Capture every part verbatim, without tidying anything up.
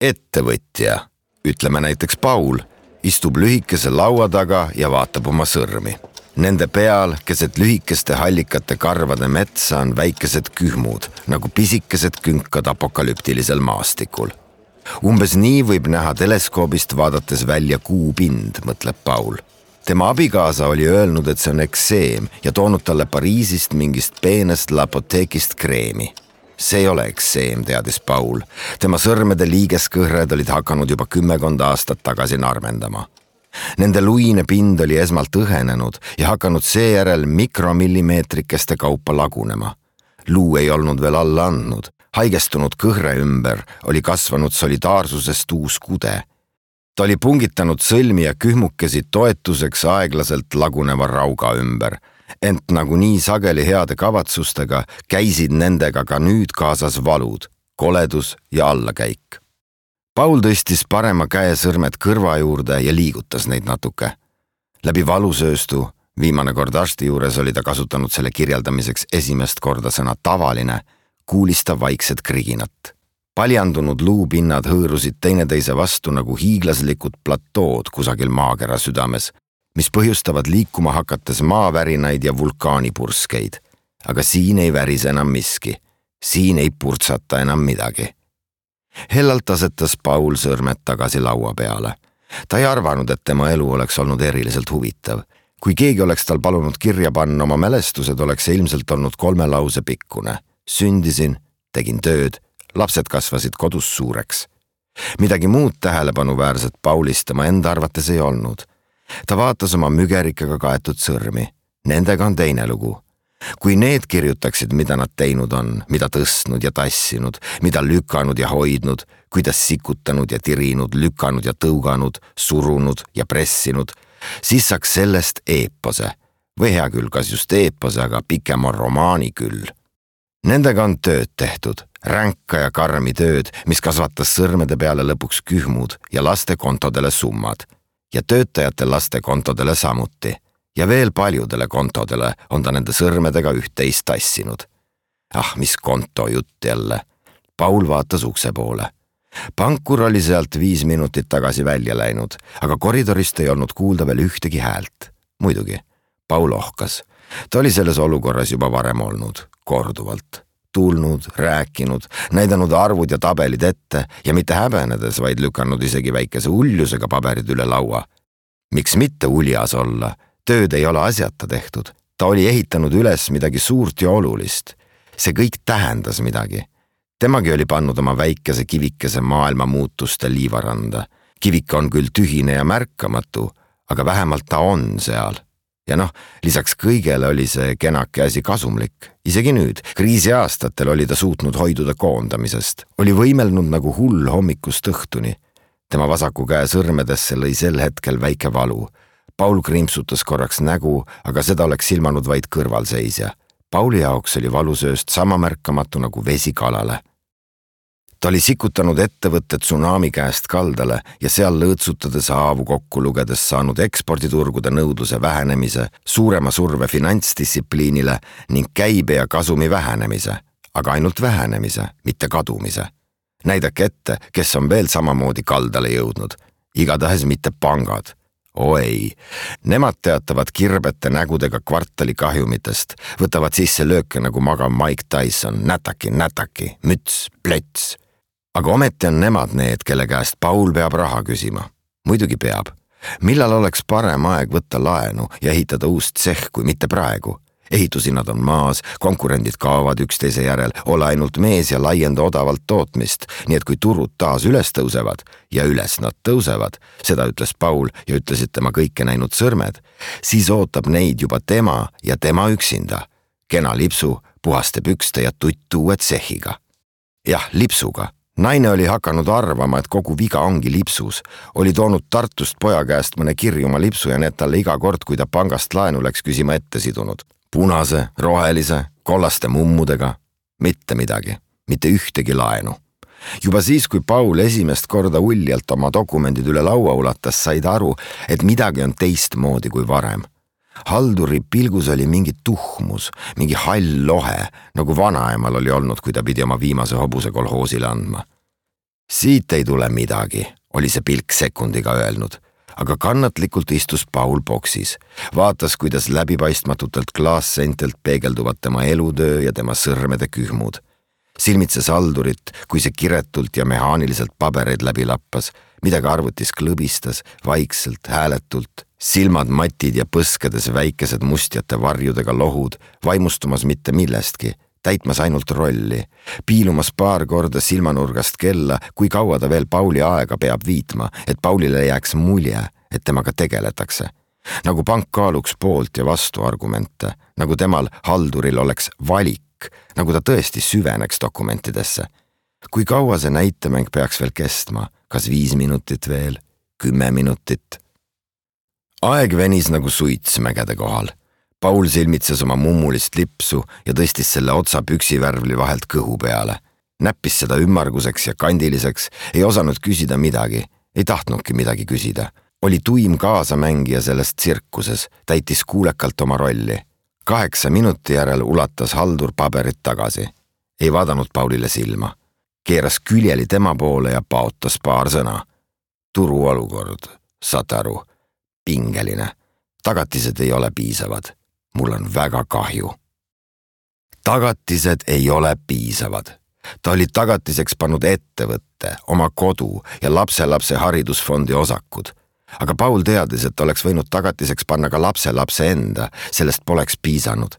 Ettevõtja, ütleme näiteks Paul, istub lühikese laua taga ja vaatab oma sõrmi. Nende peal, keset lühikeste hallikate karvade metsa on väikesed kühmud, nagu pisikesed künkad apokalüptilisel maastikul. Umbes nii võib näha teleskoobist vaadates välja kuupind, mõtleb Paul. Tema abikaasa oli öelnud, et see on ekseem ja toonud talle Pariisist mingist peenest lapoteekist kreemi. See ei ole ekseem, teadis Paul. Tema sõrmede liigeskõhred olid hakanud juba kümmekonda aastat tagasi narmendama. Nende luine pind oli esmalt õhenenud ja hakanud seejärel mikromillimeetrikeste kaupa lagunema. Luu ei olnud veel alla andnud. Haigestunud kõhre ümber oli kasvanud solidaarsusest uus kude. Ta oli pungitanud sõlmi ja kühmukesi toetuseks aeglaselt laguneva rauga ümber, ent nagu nii sageli heade kavatsustega käisid nendega ka nüüd kaasas valud, koledus ja allakäik. Paul tõstis parema käe sõrmed kõrva juurde ja liigutas neid natuke. Läbi valusööstu, viimane kord arsti juures oli ta kasutanud selle kirjeldamiseks esimest korda sõna tavaline, kuulis ta vaikset kriginat. Paljandunud luupinnad hõõrusid teineteise vastu nagu hiiglaslikud platood kusagil maakera südames, mis põhjustavad liikuma hakates maavärinaid ja vulkaanipurskeid. Aga siin ei värise enam miski. Siin ei purtsata enam midagi. Hellalt asetas Paul sõrmed tagasi laua peale. Ta ei arvanud, et tema elu oleks olnud eriliselt huvitav. Kui keegi oleks tal palunud kirja panna oma mälestused, oleks see ilmselt olnud kolme lause pikkune. Sündisin, tegin tööd, lapsed kasvasid kodus suureks. Midagi muud tähelepanuväärset Paulist tema enda arvates ei olnud. Ta vaatas oma mügerikega kaetud sõrmi. Nendega on teine lugu. Kui need kirjutaksid, mida nad teinud on, mida tõstnud ja tassinud, mida lükanud ja hoidnud, kuidas sikutanud ja tirinud, lükanud ja tõuganud, surunud ja pressinud, siis saaks sellest eepose. Või hea küll, kas just eepose, aga pikema romaani küll. Nendega on tööd tehtud, ränka ja karmi tööd, mis kasvatas sõrmede peale lõpuks kühmud ja laste kontodele summad. Ja töötajate laste kontodele samuti. Ja veel paljudele kontodele on ta nende sõrmedega üht-teist tassinud. Ah, mis konto jutt jälle. Paul vaatas ukse poole. Pankur oli sealt viis minutit tagasi välja läinud, aga koridorist ei olnud kuulda veel ühtegi häält. Muidugi, Paul ohkas. Ta oli selles olukorras juba varem olnud, korduvalt. Tulnud, rääkinud, näidanud arvud ja tabelid ette ja mitte häbenedes, vaid lükanud isegi väikese uljusega paberid üle laua. Miks mitte uljas olla? Tööd ei ole asjata tehtud. Ta oli ehitanud üles midagi suurt ja olulist. See kõik tähendas midagi. Temagi oli pannud oma väikese kivikese maailma muutuste liivaranda. Kivik on küll tühine ja märkamatu, aga vähemalt ta on seal. Ja noh, lisaks kõigele oli see kenake asi kasumlik. Isegi nüüd, kriisi aastatel oli ta suutnud hoiduda koondamisest. Oli võimelnud nagu hull hommikust õhtuni. Tema vasaku käe sõrmedesse lõi sel hetkel väike valu. Paul krimpsutas korraks nägu, aga seda oleks silmanud vaid kõrvalseisja. Pauli jaoks oli valusööst sama märkamatu nagu vesi kalale. Ta oli sikutanud ettevõtte tsunami käest kaldale ja seal lõõtsutades haavu kokku lugedes saanud eksporditurgude nõudluse vähenemise, suurema surve finantsdistsipliinile ning käibe ja kasumi vähenemise, aga ainult vähenemise, mitte kadumise. Näidake ette, kes on veel samamoodi kaldale jõudnud. Igatahes mitte pangad. O ei, nemad teatavad kirbete nägudega kvartali kahjumitest, võtavad sisse lööke nagu magav Mike Tyson, nätaki, nätaki, müts, plöts. Aga ometi on nemad need, kelle käest Paul peab raha küsima. Muidugi peab. Millal oleks parem aeg võtta laenu ja ehitada uust tseh, kui mitte praegu? Ehitusinnad on maas, konkurendid kaovad üksteise järel, ole ainult mees ja laienda odavalt tootmist, nii et kui turud taas üles tõusevad ja üles nad tõusevad, seda ütles Paul ja ütlesid tema kõike näinud sõrmed, siis ootab neid juba tema ja tema üksinda. Kena lipsu, puhaste pükste ja tutt uue tsehiga. Jah, lipsuga. Naine oli hakanud arvama, et kogu viga ongi lipsus. Oli toonud Tartust poja käest mõne kirjuma lipsu ja need talle iga kord, kui ta pangast laenu läks küsima ette sidunud. Punase, rohelise, kollaste mummudega. Mitte midagi. Mitte ühtegi laenu. Juba siis, kui Paul esimest korda uljalt oma dokumendid üle laua ulatas, said aru, et midagi on teistmoodi kui varem. Halduri pilgus oli mingi tuhmus, mingi hall lohe, nagu vanaemal oli olnud, kui ta pidi oma viimase hobuse kolhoosile andma. Siit ei tule midagi, oli see pilk sekundiga öelnud, aga kannatlikult istus Paul boksis, vaatas, kuidas läbipaistmatutelt klaasseintelt peegelduvad tema elutöö ja tema sõrmede kühmud. Silmitses haldurit, kui see kiretult ja mehaaniliselt pabereid läbi lappas, midagi arvutis klõbistas, vaikselt, hääletult, silmad matid ja põskedes väikesed mustjate varjudega lohud, vaimustumas mitte millestki, täitmas ainult rolli, piilumas paar korda silmanurgast kella, kui kaua ta veel Pauli aega peab viitma, et Paulile jääks mulje, et temaga tegeletakse. Nagu pank kaaluks poolt ja vastu argumente, nagu temal halduril oleks valik, nagu ta tõesti süveneks dokumentidesse. Kui kaua see näitemäng peaks veel kestma, kas viis minutit veel, kümme minutit? Aeg venis nagu suits mägede kohal. Paul silmitses oma mummulist lipsu ja tõstis selle otsa püksivärvli vahelt kõhu peale. Näppis seda ümmarguseks ja kandiliseks, ei osanud küsida midagi, ei tahtnudki midagi küsida. Oli tuim kaasamängija sellest tsirkuses, täitis kuulekalt oma rolli. Kaheksa minuti järel ulatas haldur paberit tagasi. Ei vaadanud Paulile silma. Keeras küljeli tema poole ja paotas paar sõna. Turu olukord, saate aru, pingeline. Tagatised ei ole piisavad. Mul on väga kahju. Tagatised ei ole piisavad. Ta oli tagatiseks pannud ettevõtte, oma kodu ja lapselapse haridusfondi osakud. Aga Paul teadis, et oleks võinud tagatiseks panna ka lapselapse enda, sellest poleks piisanud.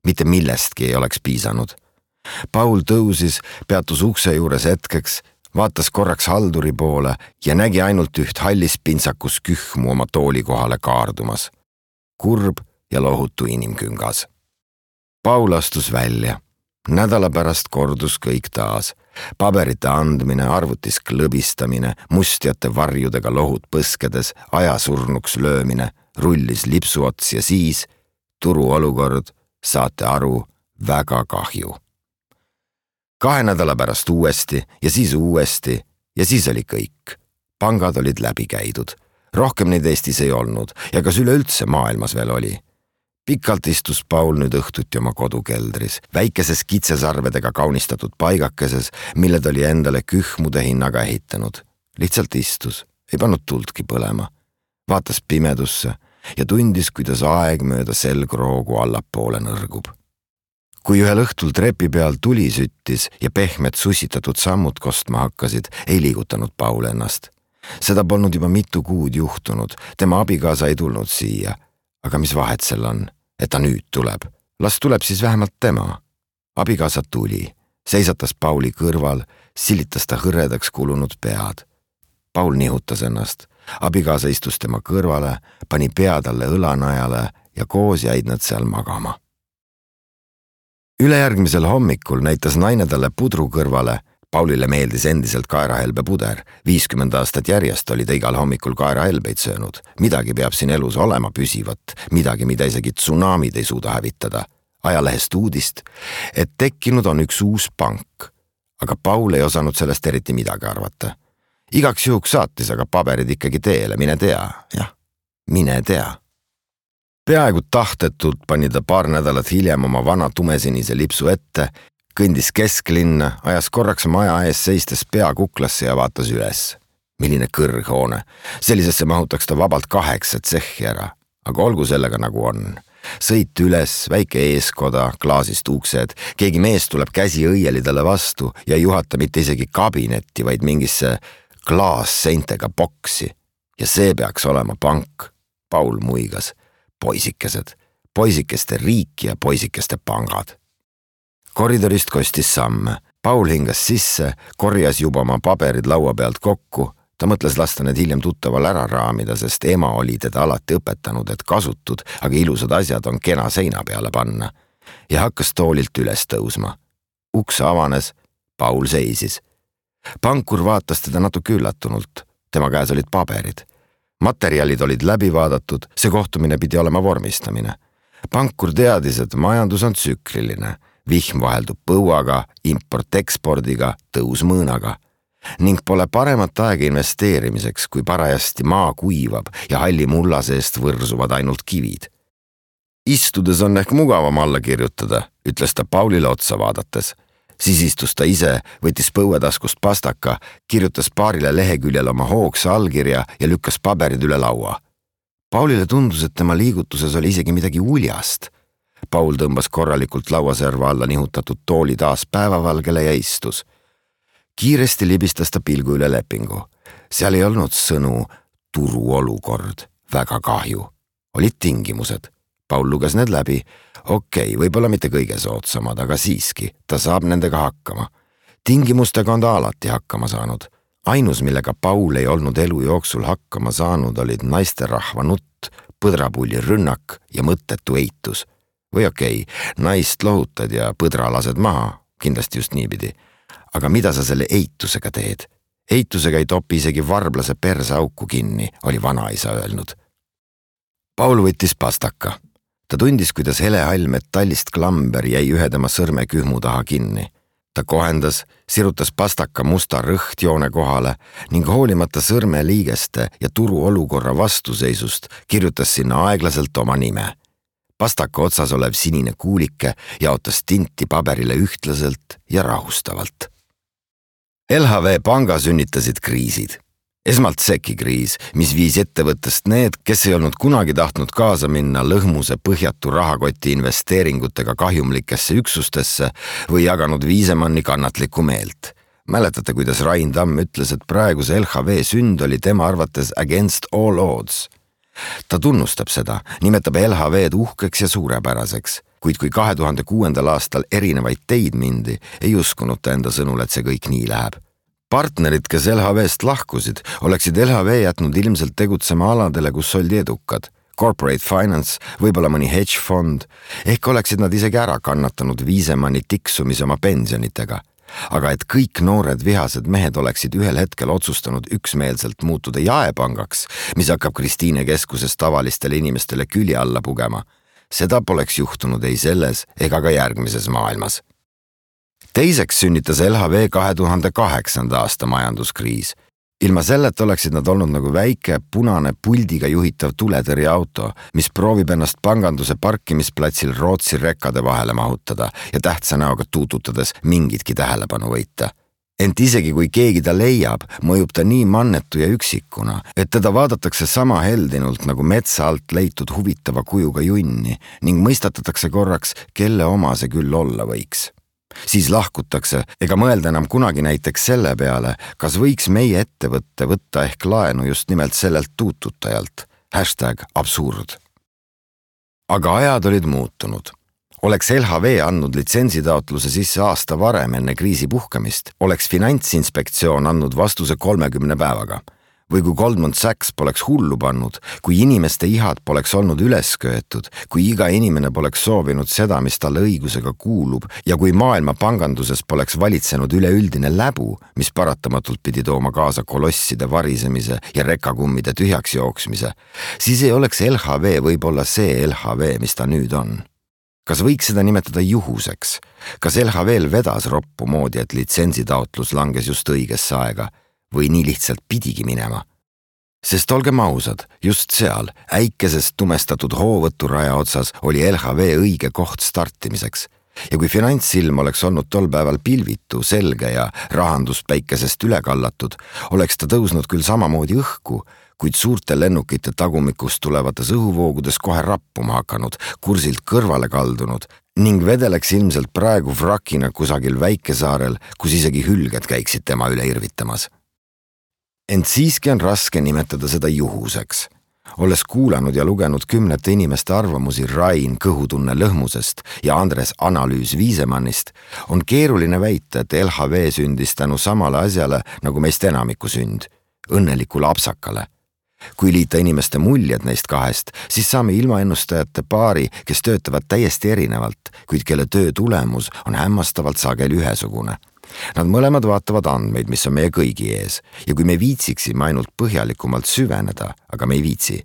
Mitte millestki ei oleks piisanud. Paul tõusis, peatus ukse juures hetkeks, vaatas korraks halduri poole ja nägi ainult üht hallis pintsakus kühmu oma tooli kohale kaardumas. Kurb ja lohutu inimküngas. Paul astus välja. Nädala pärast kordus kõik taas. Paberite andmine, arvutis klõbistamine, mustjate varjudega lohud põskedes, ajasurnuks löömine, rullis lipsuots ja siis turu olukord, saate aru, väga kahju. Kahe nädala pärast uuesti ja siis uuesti ja siis oli kõik. Pangad olid läbi käidud. Rohkem neid Eestis ei olnud ja kas üleüldse maailmas veel oli. Pikalt istus Paul nüüd õhtuti oma kodukeldris, väikeses kitsesarvedega kaunistatud paigakeses, mille ta oli endale kühmude hinnaga ehitanud. Lihtsalt istus, ei pannud tultki põlema. Vaatas pimedusse ja tundis, kuidas aeg mööda selgroogu allapoole nõrgub. Kui ühel õhtul trepi peal tuli süttis ja pehmed sussitatud sammud kostma hakkasid, ei liigutanud Paul ennast. Seda polnud juba mitu kuud juhtunud, tema abikaasa ei tulnud siia. Aga mis vahet sel on, et ta nüüd tuleb? Las tuleb siis vähemalt tema. Abikaasa tuli, seisatas Pauli kõrval, silitas ta hõredaks kulunud pead. Paul nihutas ennast. Abikaasa istus tema kõrvale, pani pea talle õlanajale ja koos jäid nad seal magama. Ülejärgmisel hommikul näitas naine talle pudru kõrvale. Paulile meeldis endiselt kaerahelbe puder. viiskümmend aastat järjest oli ta igal hommikul kaerahelbeid söönud. Midagi peab siin elus olema püsivat, midagi, mida isegi tsunamid ei suuda hävitada. Ajalehest uudist, et tekkinud on üks uus pank. Aga Paul ei osanud sellest eriti midagi arvata. Igaks juhuks saatis aga paberid ikkagi teele, mine tea, jah, mine tea. Peaaegu tahtetult pani ta paar nädalat hiljem oma vana tumesinise lipsu ette, kõndis kesklinna, ajas korraks maja ees seistes pea kuklasse ja vaatas üles. Milline kõrghoone. Sellisesse mahutaks ta vabalt kaheksa tsehhi ära, aga olgu sellega nagu on. Sõit üles, väike eeskoda, klaasist uksed, keegi mees tuleb käsi õieli talle vastu ja ei juhata mitte isegi kabinetti, vaid mingisse klaasseintega boksi. Ja see peaks olema pank. Paul muigas. Poisikesed, poisikeste riik ja poisikeste pangad. Koridorist kostis samme. Paul hingas sisse, korjas juba oma paberid laua pealt kokku. Ta mõtles lasta need hiljem tuttaval ära raamida, sest ema oli teda alati õpetanud, et kasutud, aga ilusad asjad on kena seina peale panna. Ja hakkas toolilt üles tõusma. Uks avanes, Paul seisis. Pankur vaatas teda natuke üllatunult. Tema käes olid paberid. Materjalid olid läbi vaadatud, see kohtumine pidi olema vormistamine. Pankur teadis, et majandus on tsükliline. Vihm vaheldub põuaga, import-ekspordiga, tõus mõõnaga. Ning pole paremat aega investeerimiseks, kui parajasti maa kuivab ja halli mulla seest võrsuvad ainult kivid. Istudes on ehk mugavam alla kirjutada, ütles ta Paulile otsa vaadates. Siis istus ta ise, võttis põuetaskust pastaka, kirjutas paarile leheküljel oma hoogsa allkirja ja lükkas paberid üle laua. Paulile tundus, et tema liigutuses oli isegi midagi uljast. Paul tõmbas korralikult lauaserva alla nihutatud tooli taas päevavalgele ja istus. Kiiresti libistas ta pilgu üle lepingu. Seal ei olnud sõnu turuolukord, väga kahju. Olid tingimused. Paul luges need läbi. Okei, võib-olla mitte kõige soodsamad, aga siiski, ta saab nendega hakkama. Tingimustega on ta alati hakkama saanud. Ainus, millega Paul ei olnud elu jooksul hakkama saanud, olid naisterahva nutt, põdrapulli rünnak ja mõttetu eitus. Või okei, naist lohutad ja põdra lased maha, kindlasti just niipidi. Aga mida sa selle eitusega teed? Eitusega ei topi isegi varblase perse auku kinni, oli vanaisa öelnud. Paul võttis pastaka. Ta tundis, kuidas helehall metallist klamber jäi ühe tema sõrme kühmu taha kinni. Ta kohendas, sirutas pastaka musta rõhtjoone kohale ning hoolimata sõrme liigeste ja turu olukorra vastuseisust kirjutas sinna aeglaselt oma nime. Pastaka otsas olev sinine kuulike jaotas tinti paberile ühtlaselt ja rahustavalt. L H V panga sünnitasid kriisid. Esmalt seki kriis, mis viis ettevõttest need, kes ei olnud kunagi tahtnud kaasa minna lõhmuse põhjatu rahakoti investeeringutega kahjumlikesse üksustesse või jaganud Viisemanni kannatlikku meelt. Mäletate, kuidas Rain Tamm ütles, et praeguse L H V sünd oli tema arvates against all odds. Ta tunnustab seda, nimetab L H V-d uhkeks ja suurepäraseks, kuid kui kahe tuhande kuuendal aastal erinevaid teid mindi, ei uskunud ta enda sõnul, et see kõik nii läheb. Partnerid, kes L H V-st lahkusid, oleksid L H V jätnud ilmselt tegutsema aladele, kus oldi edukad. Corporate finance, võib-olla mõni hedge fond, ehk oleksid nad isegi ära kannatanud Viisemanni tiksumise oma pensionitega. Aga et kõik noored vihased mehed oleksid ühel hetkel otsustanud üksmeelselt muutuda jaepangaks, mis hakkab Kristiine keskuses tavalistele inimestele külje alla pugema, seda poleks juhtunud ei selles ega ka järgmises maailmas. Teiseks sünnitas L H V kahe tuhande kaheksanda aasta majanduskriis. Ilma selleta oleksid nad olnud nagu väike punane puldiga juhitav tuletõrjeauto, mis proovib ennast panganduse parkimisplatsil Rootsi rekkade vahele mahutada ja tähtsa näoga tuututades mingitki tähelepanu võita. Ent isegi kui keegi ta leiab, mõjub ta nii mannetu ja üksikuna, et teda vaadatakse sama heldinult nagu metsa alt leitud huvitava kujuga junni ning mõistatatakse korraks, kelle oma see küll olla võiks. Siis lahkutakse ega mõelda enam kunagi näiteks selle peale, kas võiks meie ettevõtte võtta ehk laenu just nimelt sellelt tuututajalt. Hashtag absurd. Aga ajad olid muutunud. Oleks L H V andnud litsentsitaotluse sisse aasta varem enne kriisi puhkemist, oleks Finantsinspektsioon andnud vastuse kolmekümne päevaga. Või kui Goldman Sachs poleks hullu pannud, kui inimeste ihad poleks olnud üles köetud, kui iga inimene poleks soovinud seda, mis talle õigusega kuulub ja kui maailma panganduses poleks valitsenud üleüldine läbu, mis paratamatult pidi tooma kaasa kolosside varisemise ja rekakummide tühjaks jooksmise, siis ei oleks L H V võib-olla see L H V, mis ta nüüd on. Kas võiks seda nimetada juhuseks? Kas L H V-l vedas roppu moodi, et litsentsitaotlus langes just õigesse aega? Või nii lihtsalt pidigi minema. Sest olgem ausad, just seal, äikesest tumestatud hoovõturaja otsas oli L H V õige koht startimiseks. Ja kui finantsilm oleks olnud tol päeval pilvitu, selge ja rahandus päikesest üle kallatud, oleks ta tõusnud küll samamoodi õhku, kuid suurte lennukite tagumikust tulevates õhuvoogudes kohe rappuma hakanud, kursilt kõrvale kaldunud ning vedeleks ilmselt praegu vrakina kusagil väikesaarel, kus isegi hülged käiksid tema üle irvitamas. Ent siiski on raske nimetada seda juhuseks. Olles kuulanud ja lugenud kümnete inimeste arvamusi Rain kõhutunne lõhmusest ja Andres analüüs Viisemannist, on keeruline väita, et L H V sündis tänu samale asjale nagu meist enamiku sünd, õnneliku lapsakale. Kui liita inimeste muljed neist kahest, siis saame ilmaennustajate paari, kes töötavad täiesti erinevalt, kuid kelle töö tulemus on hämmastavalt sageli ühesugune. Nad mõlemad vaatavad andmeid, mis on meie kõigi ees, ja kui me viitsiksime ainult põhjalikumalt süveneda, aga me ei viitsi,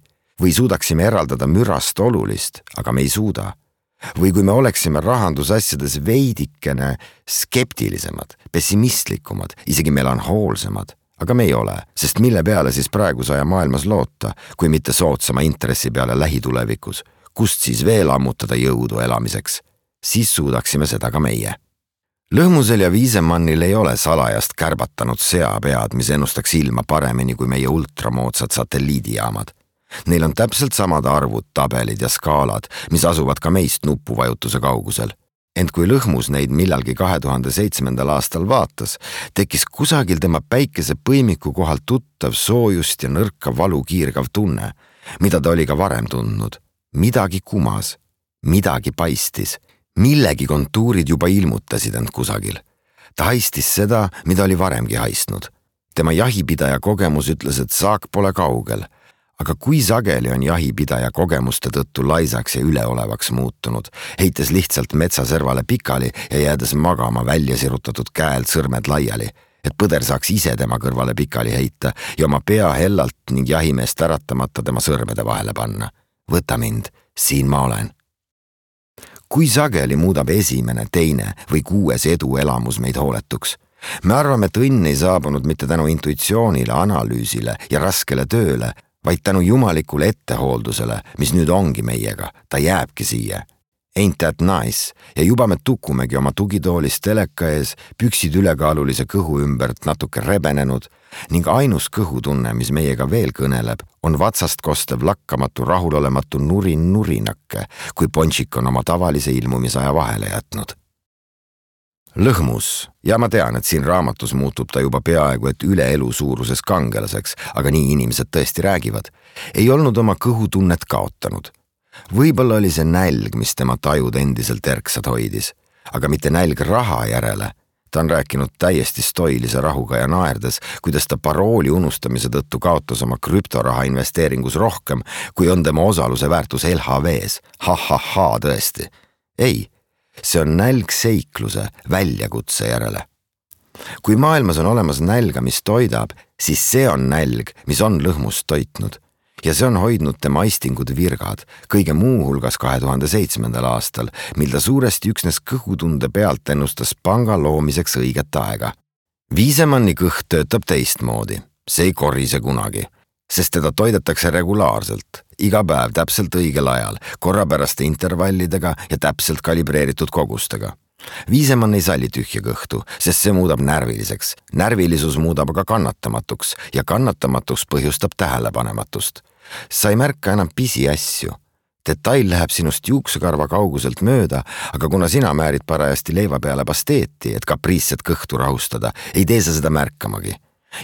või suudaksime eraldada mürast olulist, aga me ei suuda, või kui me oleksime rahandusasjades veidikene skeptilisemad, pessimistlikumad, isegi melanhoolsemad, aga me ei ole, sest mille peale siis praeguse aja maailmas loota, kui mitte soodsama intressi peale lähitulevikus, kust siis veel ammutada jõudu elamiseks, siis suudaksime seda ka meie. Lõhmusel ja Viisemannil ei ole salajast kärbatanud seapead, mis ennustaks ilma paremini kui meie ultramoodsad satelliidijaamad. Neil on täpselt samad arvud, tabelid ja skaalad, mis asuvad ka meist nupuvajutuse kaugusel. Ent kui Lõhmus neid millalgi kahe tuhande seitsmendal aastal vaatas, tekkis kusagil tema päikese põimiku kohal tuttav soojust ja nõrka valu kiirgav tunne, mida ta oli ka varem tundnud. Midagi kumas, midagi paistis, millegi kontuurid juba ilmutasid end kusagil. Ta haistis seda, mida oli varemgi haistnud. Tema jahipidaja kogemus ütles, et saak pole kaugel. Aga kui sageli on jahipidaja kogemuste tõttu laisaks ja üleolevaks muutunud, heites lihtsalt metsaservale pikali ja jäädes magama välja sirutatud käelt sõrmed laiali, et põder saaks ise tema kõrvale pikali heita ja oma pea hellalt ning jahimeest äratamata tema sõrmede vahele panna. Võta mind, siin ma olen. Kui sageli muudab esimene, teine või kuues eduelamus meid hooletuks? Me arvame, et õnn ei saabunud mitte tänu intuitsioonile, analüüsile ja raskele tööle, vaid tänu jumalikule ettehooldusele, mis nüüd ongi meiega, ta jääbki siia. Ain't that nice? Ja juba me tukumegi oma tugitoolist teleka ees, püksid ülekaalulise kõhu ümbert natuke rebenenud ning ainus kõhutunne, mis meiega veel kõneleb, on vatsast kostev lakkamatu rahulolematu nurin nurinakke, kui Pončik on oma tavalise ilmumisaja vahele jätnud. Lõhmus, ja ma tean, et siin raamatus muutub ta juba peaaegu et üle elu suuruses kangelaseks, aga nii inimesed tõesti räägivad, ei olnud oma kõhutunnet kaotanud. Võib-olla oli see nälg, mis tema tajud endiselt erksad hoidis, aga mitte nälg raha järele. Ta on rääkinud täiesti stoilise rahuga ja naerdes, kuidas ta parooli unustamise tõttu kaotas oma krüptoraha investeeringus rohkem, kui on tema osaluse väärtus L H V-s. Ha-ha-ha, tõesti. Ei. See on nälg seikluse, väljakutse järele. Kui maailmas on olemas nälga, mis toidab, siis see on nälg, mis on Lõhmust toitnud. Ja see on hoidnud tema aistingud virgad, kõige muu hulgas kahe tuhande seitsmendal aastal, mil ta suuresti üksnes kõhutunde pealt ennustas panga loomiseks õiget aega. Viisemanni kõht töötab teistmoodi. See ei korise kunagi, sest teda toidetakse regulaarselt, iga päev täpselt õigel ajal, korrapäraste intervallidega ja täpselt kalibreeritud kogustega. Viisemann ei salli tühja kõhtu, sest see muudab närviliseks. Närvilisus muudab aga kannatamatuks ja kannatamatus põhjustab tähelepanematust. Sa ei märka enam pisi asju. Detail läheb sinust juuksekarva kauguselt mööda, aga kuna sina määrid parajasti leiva peale pasteeti, et kapriisset kõhtu rahustada, ei tee sa seda märkamagi.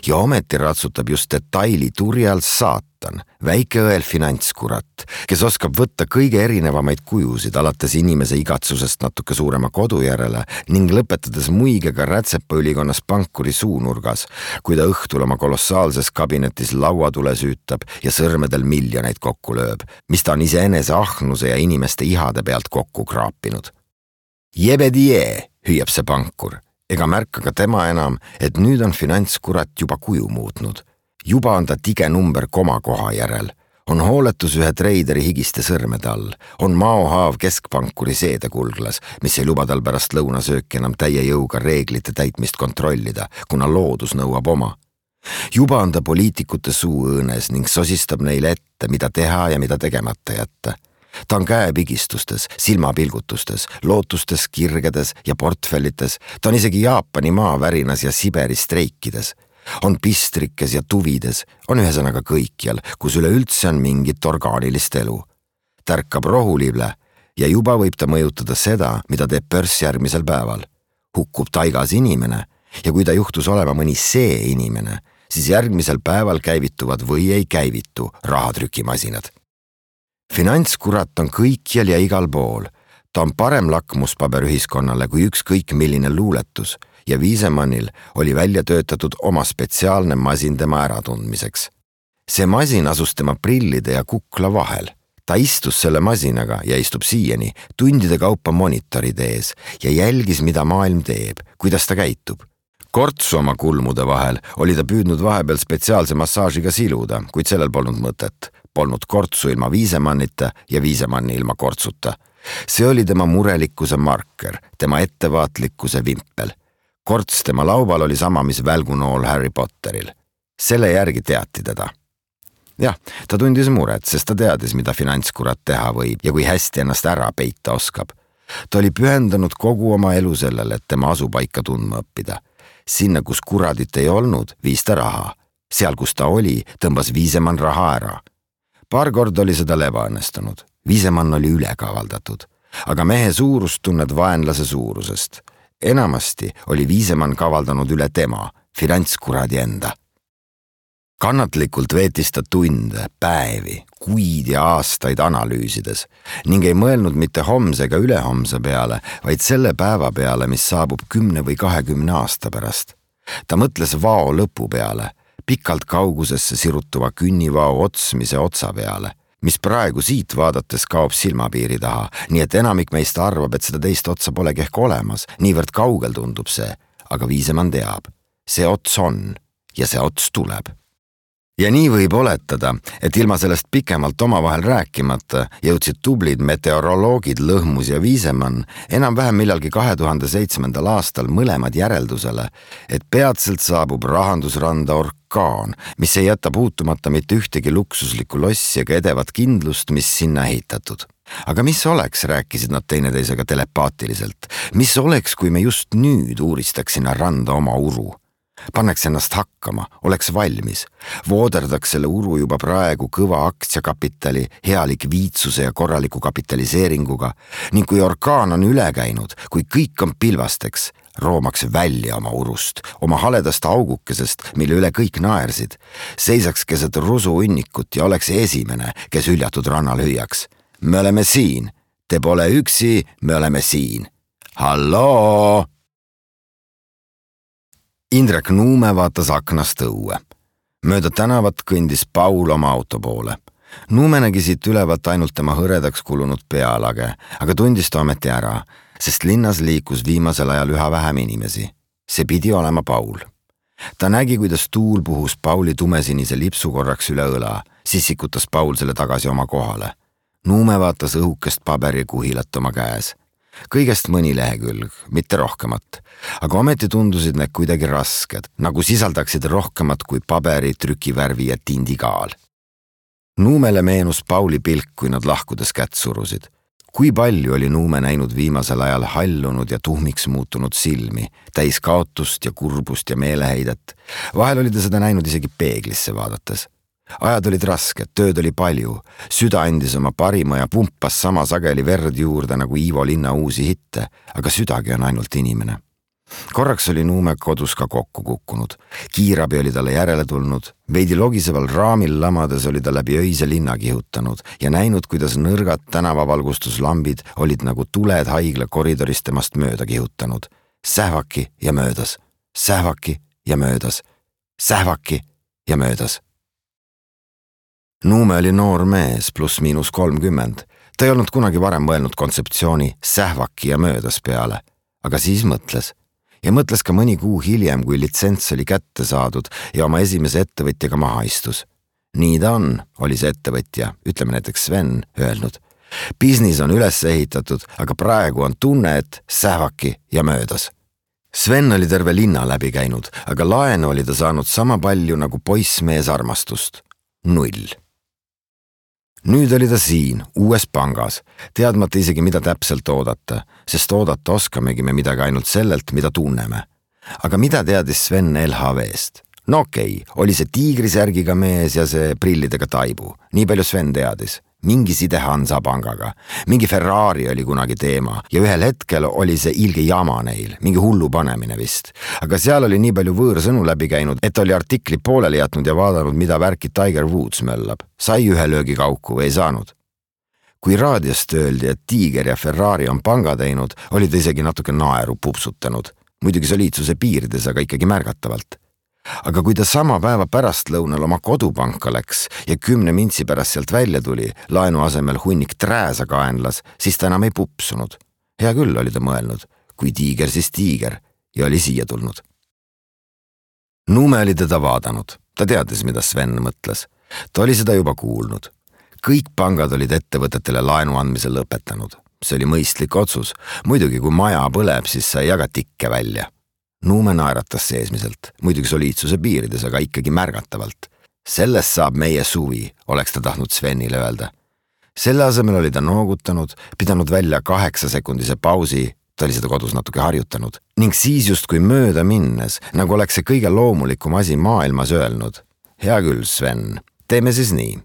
Ja ometi ratsutab just detaili turjal saatan, väike õel finantskurat, kes oskab võtta kõige erinevamaid kujusid alates inimese igatsusest natuke suurema kodu järele ning lõpetades muigega rätsepaülikonnas pankuri suunurgas, kui ta õhtul oma kolossaalses kabinetis lauatule süütab ja sõrmedel miljoneid kokku lööb, mis ta on iseenese ahnuse ja inimeste ihade pealt kokku kraapinud. Jebedie, hüüab see pankur. Ega märka ka tema enam, et nüüd on finantskurat juba kuju muutnud. Juba on ta tige number komakoha järel. On hooletus ühe treideri higiste sõrmede all. On maohaav keskpankuri seedekulglas, mis ei luba tal pärast lõunasööki enam täie jõuga reeglite täitmist kontrollida, kuna loodus nõuab oma. Juba on ta poliitikute suu õõnes ning sosistab neile ette, mida teha ja mida tegemata jätta. Ta on käepigistustes, silmapilgutustes, lootustes, kirgedes ja portfellites, ta on isegi Jaapani maavärinas ja Siberi streikides. On pistrikes ja tuvides, on ühesõnaga kõikjal, kus üleüldse on mingit orgaanilist elu. Tärkab rohulible ja juba võib ta mõjutada seda, mida teeb pörs järgmisel päeval. Hukkub taigas inimene ja kui ta juhtus olema mõni see inimene, siis järgmisel päeval käivituvad või ei käivitu rahatrükimasinad. Finantskurat on kõikjal ja igal pool. Ta on parem lakmuspaber ühiskonnale kui ükskõik milline luuletus ja Viisemannil oli välja töötatud oma spetsiaalne masin tema äratundmiseks. See masin asus tema prillide ja kukla vahel. Ta istus selle masinaga ja istub siiani tundide kaupa monitoride ees ja jälgis, mida maailm teeb, kuidas ta käitub. Kortsu oma kulmude vahel oli ta püüdnud vahepeal spetsiaalse massaažiga siluda, kuid sellel polnud mõtet. Polnud kortsu ilma Viisemannita ja Viisemanni ilma kortsuta. See oli tema murelikkuse marker, tema ettevaatlikkuse vimpel. Korts tema laubal oli sama, mis välgunool Harry Potteril. Selle järgi teati teda. Jah, ta tundis muret, sest ta teadis, mida finantskurat teha võib ja kui hästi ennast ära peita oskab. Ta oli pühendanud kogu oma elu sellele, et tema asupaika tundma õppida. Sinna, kus kuradit ei olnud, viis ta raha. Seal, kus ta oli, tõmbas Viisemann raha ära. Paar kord oli seda ebaõnnestunud. Viisemann oli ülekavaldatud. Aga mehe suurust tunned vaenlase suurusest. Enamasti oli Viisemann kavaldanud üle tema, finantskuradi enda. Kannatlikult veetis ta tunde, päevi, kuid ja aastaid analüüsides ning ei mõelnud mitte homse ega ülehomse peale, vaid selle päeva peale, mis saabub kümne või kahekümne aasta pärast. Ta mõtles vao lõpu peale, pikalt kaugusesse sirutuva künnivao otsmise otsa peale, mis praegu siit vaadates kaob silmapiiri taha, nii et enamik meist arvab, et seda teist otsa polegi ehk olemas, niivõrd kaugel tundub see, aga Viisemann teab, see ots on ja see ots tuleb. Ja nii võib oletada, et ilma sellest pikemalt omavahel rääkimata jõudsid tublid meteoroloogid Lõhmus ja Viisemann enam-vähem millalgi kahe tuhande seitsmendal aastal mõlemad järeldusele, et peatselt saabub rahandusranda orkaan, mis ei jäta puutumata mitte ühtegi luksuslikku lossi ega edevat kindlust, mis sinna ehitatud. Aga mis oleks, rääkisid nad teineteisega telepaatiliselt, mis oleks, kui me just nüüd uuristaks sinna randa oma uru? Panneks ennast hakkama, oleks valmis, vooderdaks selle uru juba praegu kõva aktsiakapitali, hea likviidsuse ja korraliku kapitaliseeringuga ning kui orkaan on üle käinud, kui kõik on pilvasteks, roomaks välja oma urust, oma haledast augukesest, mille üle kõik naersid, seisaks keset rusuunnikut ja oleks esimene, kes hüljatud rannal hüüaks. Me oleme siin, te pole üksi, me oleme siin. Halloo! Indrek Nuume vaatas aknast õue. Mööda tänavat kõndis Paul oma auto poole. Nuume nägi siit ülevalt ainult tema hõredaks kulunud pealage, aga tundis ta ometi ära, sest linnas liikus viimasel ajal üha vähem inimesi. See pidi olema Paul. Ta nägi, kuidas tuul puhus Pauli tumesinise lipsu korraks üle õla, siis sikutas Paul selle tagasi oma kohale. Nuume vaatas õhukest paberikuhilat oma käes. Kõigest mõni lehekülg, mitte rohkemat, aga ometi tundusid need kuidagi rasked, nagu sisaldaksid rohkemat kui paberi, trükivärvi ja tindikaal. Nuumele meenus Pauli pilk, kui nad lahkudes kätt surusid. Kui palju oli Nuume näinud viimasel ajal hallunud ja tuhmiks muutunud silmi, täis kaotust ja kurbust ja meeleheidet. Vahel oli ta seda näinud isegi peeglisse vaadates. Ajad olid rasked, tööd oli palju, süda andis oma parima ja pumpas sama sageli verd juurde nagu Ivo Linna uusi hitte, aga südagi on ainult inimene. Korraks oli Nuume kodus ka kokku kukkunud, kiirabi oli talle järele tulnud, veidi logiseval raamil lamades oli ta läbi öise linna kihutanud ja näinud, kuidas nõrgad tänavavalgustuslambid olid nagu tuled haigla koridorist temast mööda kihutanud. Sähvaki ja möödas, sähvaki ja möödas, sähvaki ja möödas. Nuume oli noor mees pluss miinus kolmkümmend. Ta ei olnud kunagi varem mõelnud kontseptsiooni sähvaki ja möödas peale, aga siis mõtles. Ja mõtles ka mõni kuu hiljem, kui litsents oli kätte saadud ja oma esimese ettevõtjaga maha istus. Nii ta on, oli see ettevõtja, ütleme näiteks Sven, öelnud. Business on üles ehitatud, aga praegu on tunne, et sähvaki ja möödas. Sven oli terve linna läbi käinud, aga laenu oli ta saanud sama palju nagu poissmees armastust. Null. Nüüd oli ta siin, uues pangas, teadmata isegi mida täpselt oodata, sest oodata oskamegi me midagi ainult sellelt, mida tunneme. Aga mida teadis Sven L H V-st? No okei, oli see tiigrisärgiga mees ja see prillidega taibu. Nii palju Sven teadis. Mingi side Hansa pangaga. Mingi Ferrari oli kunagi teema ja ühel hetkel oli see ilge jama neil, mingi hullu panemine vist. Aga seal oli nii palju võõrsõnu läbi käinud, et oli artikli pooleli jätnud ja vaadanud, mida värki Tiger Woods möllab. Sai ühe löögi kauku või ei saanud. Kui raadiost öeldi, et Tiiger ja Ferrari on panga teinud, oli ta isegi natuke naeru pupsutanud. Muidugi soliidsuse piirides, aga ikkagi märgatavalt. Aga kui ta sama päeva pärast lõunal oma kodupanka läks ja kümne mintsi pärast sealt välja tuli, laenu asemel hunnik trääsa kaenlas, siis ta enam ei pupsunud. Hea küll, oli ta mõelnud. Kui tiiger, siis tiiger ja oli siia tulnud. Nuume oli teda vaadanud. Ta teadis, mida Sven mõtles. Ta oli seda juba kuulnud. Kõik pangad olid ettevõtetele laenu andmise lõpetanud. See oli mõistlik otsus. Muidugi, kui maja põleb, siis sa ei jaga tikke välja. Nuume naeratas seesmiselt, muidugi soliidsuse piirides, aga ikkagi märgatavalt. Sellest saab meie suvi, oleks ta tahtnud Svenile öelda. Selle asemel oli ta noogutanud, pidanud välja kaheksasekundise pausi, ta oli seda kodus natuke harjutanud, ning siis justkui mööda minnes, nagu oleks see kõige loomulikum asi maailmas öelnud. Hea küll, Sven, teeme siis nii.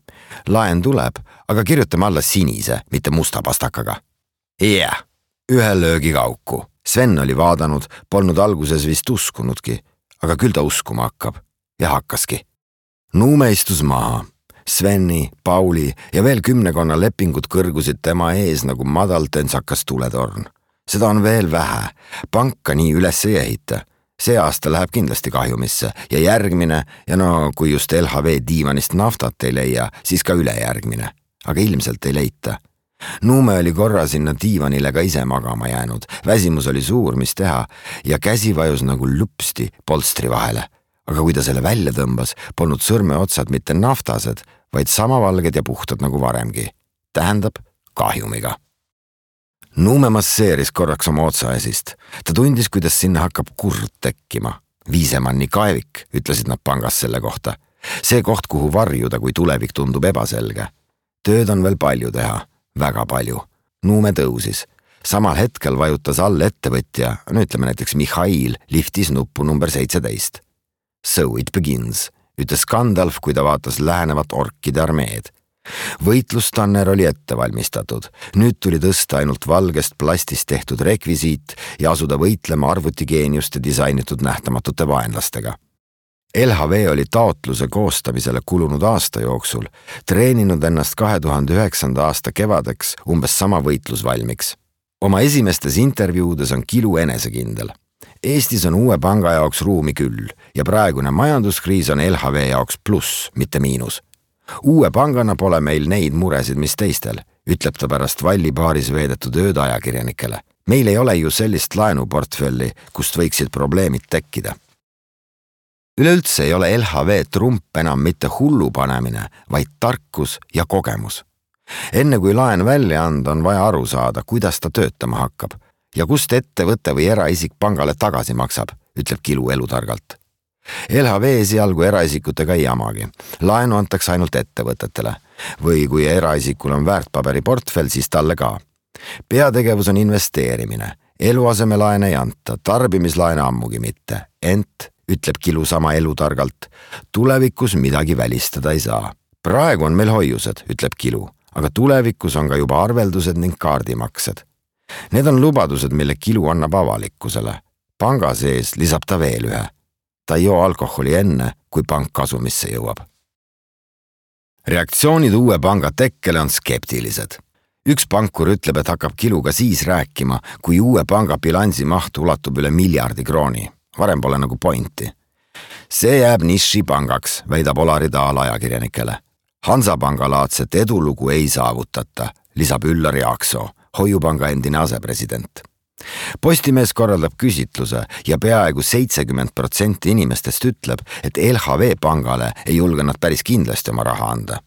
Laen tuleb, aga kirjutame alla sinise, mitte musta pastakaga. Yeah, ühe löögi kauku. Sven oli vaadanud, polnud alguses vist uskunudki, aga küll ta uskuma hakkab. Ja hakkaski. Nuume istus maha. Sveni, Pauli ja veel kümnekonna lepingud kõrgusid tema ees nagu madal tentsakas tuletorn. Seda on veel vähe. Panka nii üles ei ehita. See aasta läheb kindlasti kahjumisse ja järgmine ja no kui just L H V diivanist naftat ei leia, siis ka ülejärgmine. Aga ilmselt ei leita. Nuume oli korra sinna diivanile ka ise magama jäänud. Väsimus oli suur, mis teha ja käsi vajus nagu lupsti polstri vahele. Aga kui ta selle välja tõmbas, polnud sõrme otsad mitte naftased, vaid sama valged ja puhtad nagu varemgi. Tähendab kahjumiga. Nuume masseeris korraks oma otsaesist. Ta tundis, kuidas sinna hakkab kurd tekkima. Viisemanni kaevik, ütlesid nad pangas selle kohta. See koht, kuhu varjuda, kui tulevik tundub ebaselge. Tööd on veel palju teha. Väga palju. Nuume tõusis. Samal hetkel vajutas all ettevõtja, no ütleme näiteks Mihhail, liftis nuppu number seitseteist. So it begins, ütles Gandalf, kui ta vaatas lähenevat orkide armeed. Võitlustanner oli ette valmistatud. Nüüd tuli tõsta ainult valgest plastist tehtud rekvisiit ja asuda võitlema arvutigeeniuste disainitud nähtamatute vaenlastega. L H V oli taotluse koostamisele kulunud aasta jooksul, treeninud ennast kahe tuhande üheksanda aasta kevadeks umbes sama võitlusvalmiks. Oma esimestes intervjuudes on Kilu enesekindel. Eestis on uue panga jaoks ruumi küll ja praegune majanduskriis on L H V jaoks pluss, mitte miinus. Uue pangana pole meil neid muresid, mis teistel, ütleb ta pärast Vallipaaris veedetud ööd ajakirjanikele. Meil ei ole ju sellist laenuportfelli, kust võiksid probleemid tekkida. Üleüldse ei ole L H V trump enam mitte hullu panemine, vaid tarkus ja kogemus. Enne kui laen välja anda, on vaja aru saada, kuidas ta töötama hakkab ja kust ettevõte või eraisik pangale tagasi maksab, ütleb Kilu elutargalt. L H V esialgu eraisikutega ei jamagi. Laenu antakse ainult ettevõtetele või kui eraisikul on väärtpaberiportfell, siis talle ka. Peategevus on investeerimine. Eluasemelaene ei anta, tarbimislaene ammugi mitte. Ent, ütleb Kilu sama elutargalt, tulevikus midagi välistada ei saa. Praegu on meil hoiused, ütleb Kilu, aga tulevikus on ka juba arveldused ning kaardimaksed. Need on lubadused, mille Kilu annab avalikkusele. Panga sees lisab ta veel ühe. Ta ei joo alkoholi enne, kui pank kasumisse jõuab. Reaktsioonid uue panga tekkele on skeptilised. Üks pankur ütleb, et hakkab Kiluga siis rääkima, kui uue panga bilansi maht ulatub üle miljardi krooni. Varem pole nagu pointi. See jääb niši pangaks, väidab Olari Taal ajakirjanikele. Hansapanga laadset edulugu ei saavutata, lisab Üllar Jaaksoo, hoiupanga endine asepresident. Postimees korraldab küsitluse ja peaaegu seitsekümmend protsenti inimestest ütleb, et L H V pangale ei julge nad päris kindlasti oma raha anda.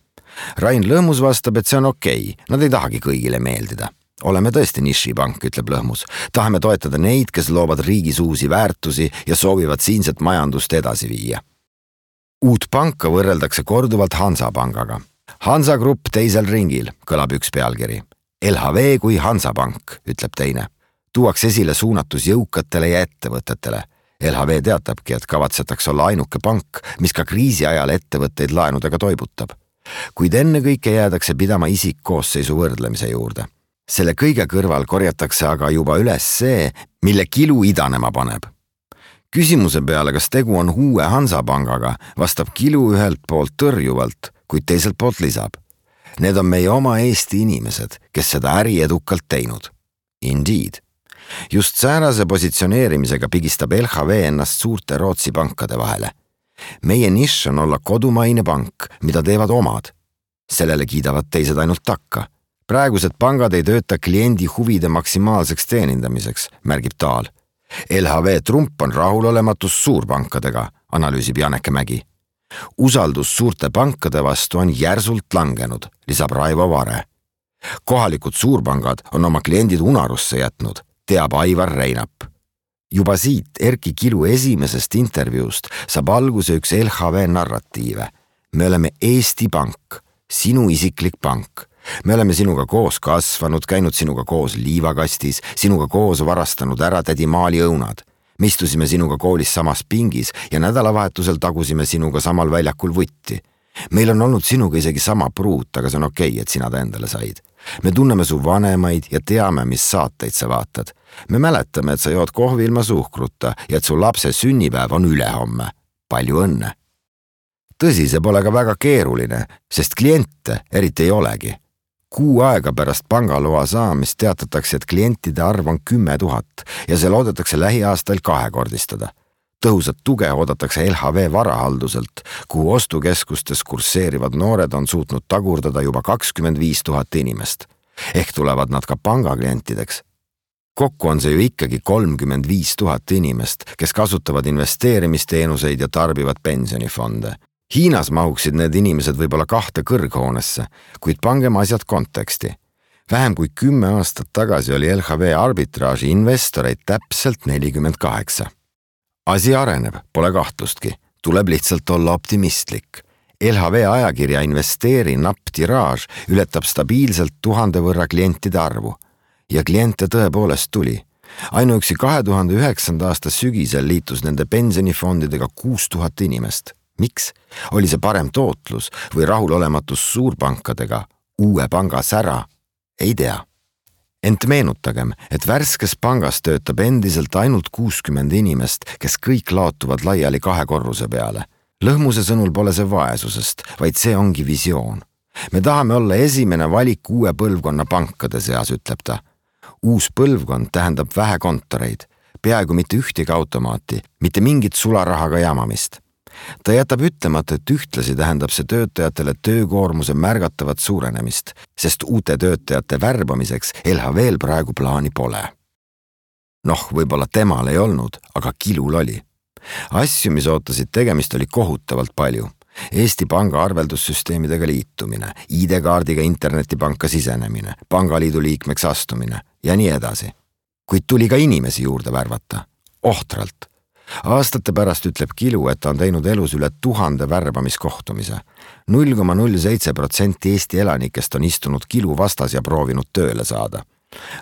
Rain Lõhmus vastab, et see on okei, nad ei tahagi kõigile meeldida. Oleme tõesti nišipank, ütleb Lõhmus. Tahame toetada neid, kes loovad riigis uusi väärtusi ja soovivad siinset majandust edasi viia. Uut panka võrreldakse korduvalt Hansapangaga. Hansa Grupp teisel ringil, kõlab üks pealkiri. L H V kui Hansapank, ütleb teine. Tuuaks esile suunatus jõukatele ja ettevõtetele. L H V teatabki, et kavatsetakse olla ainuke pank, mis ka kriisi ajal ettevõtteid laenudega toibutab. Kuid enne kõike jäädakse pidama isikkoosseisu võrdlemise juurde. Selle kõige kõrval korjatakse aga juba üles see, mille Kilu idanema paneb. Küsimuse peale, kas tegu on uue Hansapangaga, vastab Kilu ühelt poolt tõrjuvalt, kuid teiselt poolt lisab. Need on meie oma Eesti inimesed, kes seda äri edukalt teinud. Indeed. Just säärase positsioneerimisega pigistab L H V ennast suurte Rootsi pankade vahele. Meie nišš on olla kodumaine pank, mida teevad omad. Sellele kiidavad teised ainult takka. Praegused pangad ei tööta kliendi huvide maksimaalseks teenindamiseks, märgib Taal. L H V trump on rahulolematus suurpankadega, analüüsib Janeke Mägi. Usaldus suurte pankade vastu on järsult langenud, lisab Raivo Vare. Kohalikud suurpangad on oma kliendid unarusse jätnud, teab Aivar Reinap. Juba siit Erki Kilu esimesest intervjuust saab alguse üks L H V narratiive. Me oleme Eesti pank, sinu isiklik pank. me oleme sinuga koos kasvanud, käinud sinuga koos liivakastis, sinuga koos varastanud ära tädi Maali õunad. Me istusime sinuga koolis samas pingis ja nädalavahetusel tagusime sinuga samal väljakul vutti. Meil on olnud sinuga isegi sama pruut, aga see on okei, et sina ta endale said. Me tunneme su vanemaid ja teame, mis saateid sa vaatad. Me mäletame, et sa jood kohvi ilma suhkruta ja et su lapse sünnipäev on ülehomme. Palju õnne! Tõsi, see pole ka väga keeruline, sest kliente eriti ei olegi. Kuu aega pärast pangaloa saamist teatatakse, et klientide arv on kümme tuhat ja see loodetakse lähiaastail kahekordistada. Tõhusat tuge oodatakse L H V varahalduselt, kuhu ostukeskustes kursseerivad noored on suutnud tagurdada juba kakskümmend viis tuhat inimest. Ehk tulevad nad ka pangaklientideks. Kokku on see ju ikkagi kolmkümmend viis tuhat inimest, kes kasutavad investeerimisteenuseid ja tarbivad pensionifonde. Hiinas mahuksid need inimesed võib-olla kahte kõrghoonesse, kuid pangem asjad konteksti. Vähem kui kümme aastat tagasi oli L H V arbitraaži investoreid täpselt nelikümmend kaheksa. Asi areneb, pole kahtlustki, tuleb lihtsalt olla optimistlik. L H V ajakirja investeeri napp tiraaž ületab stabiilselt tuhande võrra klientide arvu. Ja kliente tõepoolest tuli. Ainuüksi kahe tuhande üheksanda aasta sügisel liitus nende pensionifondidega kuus tuhat inimest. Miks? Oli see parem tootlus või rahulolematus suurpankadega, uue panga sära? Ei tea. Ent meenutagem, et värskes pangas töötab endiselt ainult kuuskümmend inimest, kes kõik laotuvad laiali kahe korruse peale. Lõhmuse sõnul pole see vaesusest, vaid see ongi visioon. Me tahame olla esimene valik uue põlvkonna pankade seas, ütleb ta. Uus põlvkond tähendab vähe kontoreid, peaaegu mitte ühtegi automaati, mitte mingit sularahaga jamamist. Ta jätab ütlemata, et ühtlasi tähendab see töötajatele töökoormuse märgatavat suurenemist, sest uute töötajate värbamiseks L H V-l praegu plaani pole. Noh, võib-olla temal ei olnud, aga Kilul oli. Asju, mis ootasid tegemist, oli kohutavalt palju. Eesti panga arveldussüsteemidega liitumine, I D-kaardiga internetipanka sisenemine, pangaliidu liikmeks astumine ja nii edasi. Kuid tuli ka inimesi juurde värvata. Ohtralt. Aastate pärast ütleb Kilu, et ta on teinud elus üle tuhande värbamiskohtumise. null koma null seitse protsenti Eesti elanikest on istunud Kilu vastas ja proovinud tööle saada.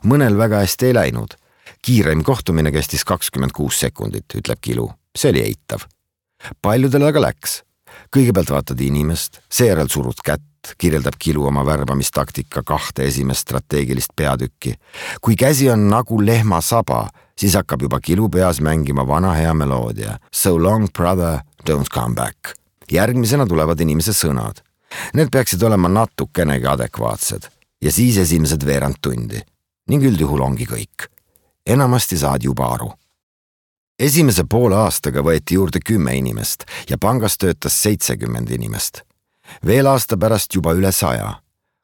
Mõnel väga hästi ei läinud. Kiireim kohtumine kestis kakskümmend kuus sekundit, ütleb Kilu. See oli eitav. Paljudel aga läks. Kõigepealt vaatad inimest, seejärel surud kätt, kirjeldab Kilu oma värbamistaktika kahte esimest strateegilist peatükki. Kui käsi on nagu lehma saba, siis hakkab juba Kilu peas mängima vana hea meloodia. So long, brother, don't come back. Järgmisena tulevad inimese sõnad. Need peaksid olema natukenegi adekvaatsed. Ja siis esimesed veerand tundi. Ning üldjuhul ongi kõik. Enamasti saad juba aru. Esimese poole aastaga võeti juurde kümme inimest ja pangas töötas seitsekümmend inimest. Veel aasta pärast juba üle saja.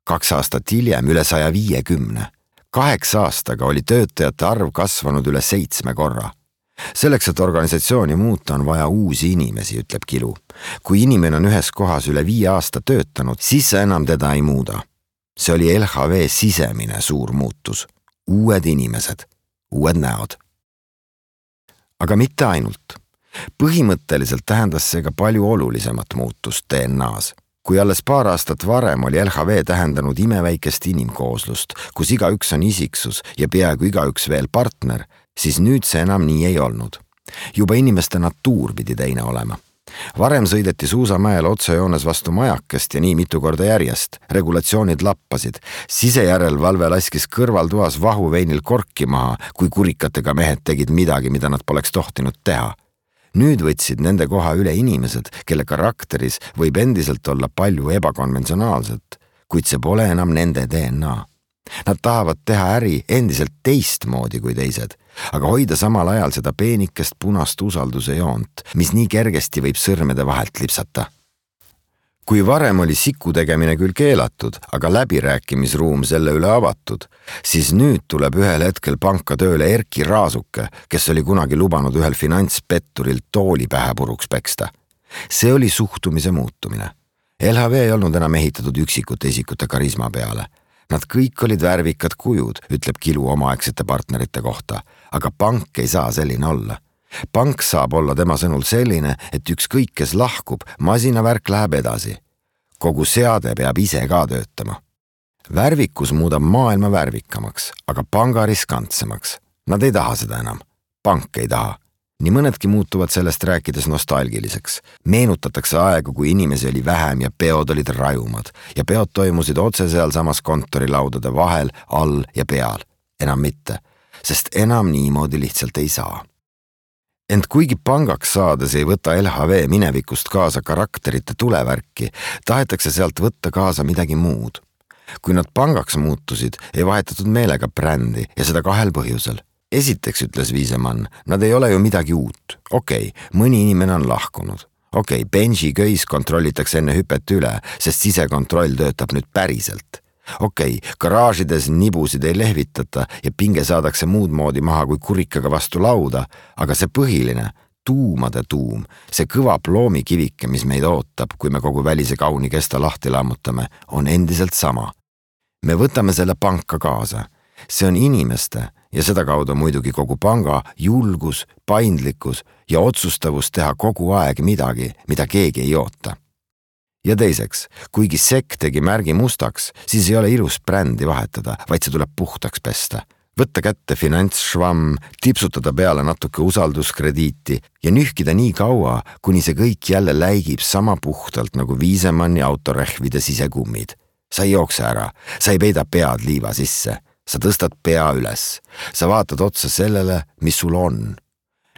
Kaks aastat hiljem üle saja viiekümne. Kaheksa aastaga oli töötajate arv kasvanud üle seitsme korra. Selleks, et organisatsiooni muuta, on vaja uusi inimesi, ütleb Kilu. Kui inimene on ühes kohas üle viie aasta töötanud, siis sa enam teda ei muuda. See oli L H V sisemine suur muutus. Uued inimesed, uued näod. Aga mitte ainult. Põhimõtteliselt tähendas see ka palju olulisemat muutust D N A-s. Kui alles paar aastat varem oli L H V tähendanud imeväikest inimkooslust, kus igaüks on isiksus ja peaaegu igaüks veel partner, siis nüüd see enam nii ei olnud. Juba inimeste natuur pidi teine olema. Varem sõideti suusamäel otsejoones vastu majakest ja nii mitu korda järjest. Regulatsioonid lappasid. Sisejärelevalve laskis kõrvaltoas vahuveinil korki maha, kui kurikatega mehed tegid midagi, mida nad poleks tohtinud teha. Nüüd võtsid nende koha üle inimesed, kelle karakteris võib endiselt olla palju ebakonventsionaalset, kuid see pole enam nende D N A. Nad tahavad teha äri endiselt teistmoodi kui teised, aga hoida samal ajal seda peenikest punast usalduse joont, mis nii kergesti võib sõrmede vahelt lipsata. Kui varem oli siku tegemine küll keelatud, aga läbirääkimisruum selle üle avatud, siis nüüd tuleb ühel hetkel panka tööle Erki Raasuke, kes oli kunagi lubanud ühel finantspetturil tooli pähe puruks peksta. See oli suhtumise muutumine. L H V ei olnud enam ehitatud üksikute isikute karisma peale. Nad kõik olid värvikad kujud, ütleb Kilu omaaegsete partnerite kohta, aga pank ei saa selline olla. Pank saab olla tema sõnul selline, et ükskõik kes lahkub, masinavärk läheb edasi. Kogu seade peab ise ka töötama. Värvikus muudab maailma värvikamaks, aga panga riskantsemaks. Nad ei taha seda enam. Pank ei taha. Nii mõnedki muutuvad sellest rääkides nostalgiliseks. Meenutatakse aegu, kui inimesi oli vähem ja peod olid rajumad ja peod toimusid otse seal samas kontorilaudade vahel, all ja peal. Enam mitte, sest enam niimoodi lihtsalt ei saa. Ent kuigi pangaks saades ei võta L H V minevikust kaasa karakterite tulevärki, tahetakse sealt võtta kaasa midagi muud. Kui nad pangaks muutusid, ei vahetatud meelega brändi ja seda kahel põhjusel. Esiteks, ütles Viisemann, nad ei ole ju midagi uut. Okei, mõni inimene on lahkunud. Okei, benži köis kontrollitakse enne hüpet üle, sest sisekontroll töötab nüüd päriselt. Okei, garaažides nibusid ei lehvitata ja pinge saadakse muud moodi maha kui kurikaga vastu lauda, aga see põhiline, tuumade tuum, see kõva ploomikivike, mis meid ootab, kui me kogu välise kauni kesta lahti lammutame, on endiselt sama. Me võtame selle panka kaasa. See on inimeste ja seda kaudu muidugi kogu panga julgus, paindlikkus ja otsustavus teha kogu aeg midagi, mida keegi ei oota. Ja teiseks, kuigi sekk tegi märgi mustaks, siis ei ole ilus brändi vahetada, vaid see tuleb puhtaks pesta. Võtta kätte finantsšvamm, tipsutada peale natuke usalduskrediiti ja nühkida nii kaua, kuni see kõik jälle läigib sama puhtalt nagu Viisemanni autorehvide sisekummid. Sa ei jookse ära, sa ei peida pead liiva sisse. Sa tõstad pea üles. Sa vaatad otsa sellele, mis sul on.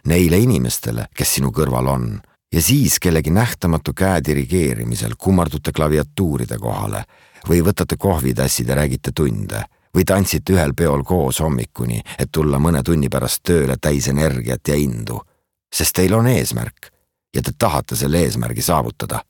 Neile inimestele, kes sinu kõrval on. Ja siis kellegi nähtamatu käe dirigeerimisel kummardute klaviatuuride kohale või võtate kohvitassid ja räägite tunde või tantsite ühel peol koos hommikuni, et tulla mõne tunni pärast tööle täis energiat ja indu. Sest teil on eesmärk ja te tahate selle eesmärgi saavutada.